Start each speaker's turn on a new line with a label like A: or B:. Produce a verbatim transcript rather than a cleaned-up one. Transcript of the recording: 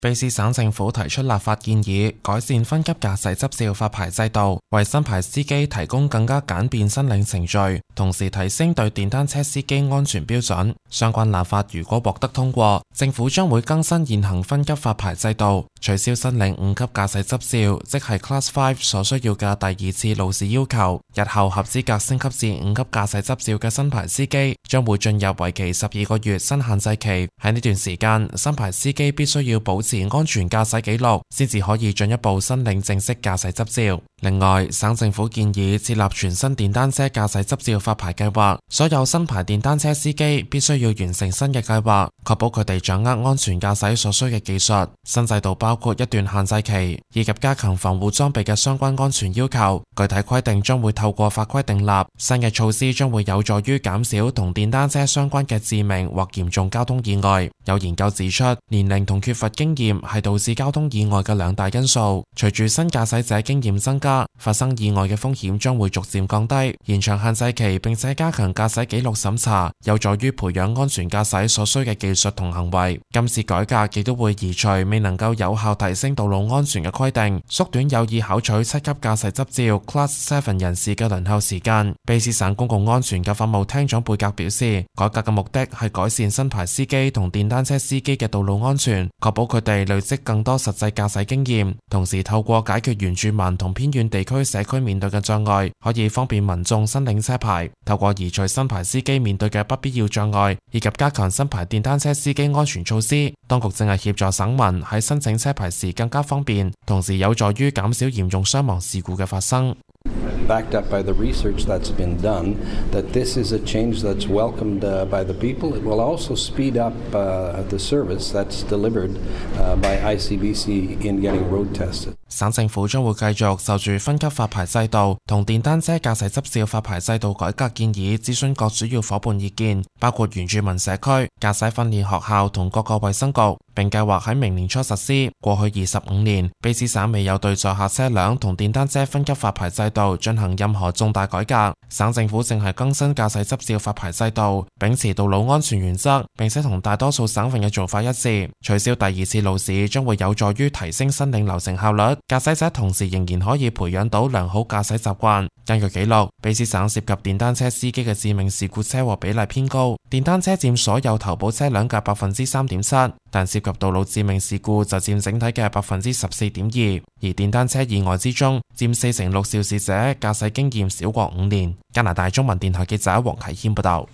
A: 卑詩省政府提出立法建議，改善分級駕駛執照發牌制度，為新牌司機提供更加簡便申領程序，同時提升對電單車司機安全標準。相關立法如果獲得通過，政府將會更新現行分級發牌制度，取消申領五級駕駛執照，即係 Class 五 所需要嘅第二次路試要求。日後合資格升級至五級駕駛執照嘅新牌司機將會進入為期十二個月新限制期。喺呢段時間，新牌司機必須要保持安全駕駛記錄，先至可以進一步申領正式駕駛執照。另外，省政府建議設立全新電單車駕駛執照發牌計劃，所有新牌電單車司機必須要完成新嘅計劃，確保佢哋掌握安全駕駛所需嘅技術。新制度包括一段限制期，以及加強防護裝備嘅相關安全要求。具體規定將會透過法規訂立，新嘅措施將會有助於減少同電單車相關嘅致命或嚴重交通意外。有研究指出，年齡同缺乏經驗係導致交通意外嘅兩大因素。隨住新駕駛者經驗增加，發生意外嘅風險將會逐漸降低。延長限制期並且加強駕駛記錄審查，有助於培養安全駕駛所需嘅技術同行為。今次改革亦都會移除未能夠有效提升道路安全嘅規定，縮短有意考取七級駕駛執照 Class 七人士嘅輪候時間。卑詩省公共安全及法務廳長貝格表示，改革嘅目的係改善新牌司機同電單車司機嘅道路安全，確保佢哋累積更多實際駕駛經驗，同時透過解決原住民同偏遠地區社區面對嘅障礙，可以方便民眾申領車牌。透過移除新牌司機面對嘅不必要障礙，以及加強新牌電單車司機安全措施，當局正係協助省民喺申請車牌時更加方便，同時有助於減少嚴重傷亡事故嘅發生。
B: Backed up by the research that's been done, that this is a change that's welcomed uh, by the people. It will also speed up uh, the service that's delivered uh, by I C B C in getting road tested.
A: 省政府將會繼續就住分級發牌制度同電單車駕駛執照發牌制度改革建議諮詢各主要夥伴意見，包括原住民社區、駕駛訓練學校同各個衛生局，並計劃喺明年初實施。過去二十五年，卑詩省未有對載客車輛同電單車分級發牌制度進行任何重大改革。省政府正係更新駕駛執照發牌制度，秉持道路安全原則，並且同大多數省份嘅做法一致。取消第二次路試將會有助於提升申領流程效率，駕駛者同時仍然可以培養到良好駕駛習慣。根據記錄，卑詩省涉及電單車司機嘅致命事故車禍比例偏高，電單車佔所有投保車輛嘅百分之三點七，但涉及道路致命事故就佔整體嘅百分之十四點二。而電單車意外之中，佔四成六肇事者駕駛經驗少過五年。加拿大中文電台記者黃啟謙報道。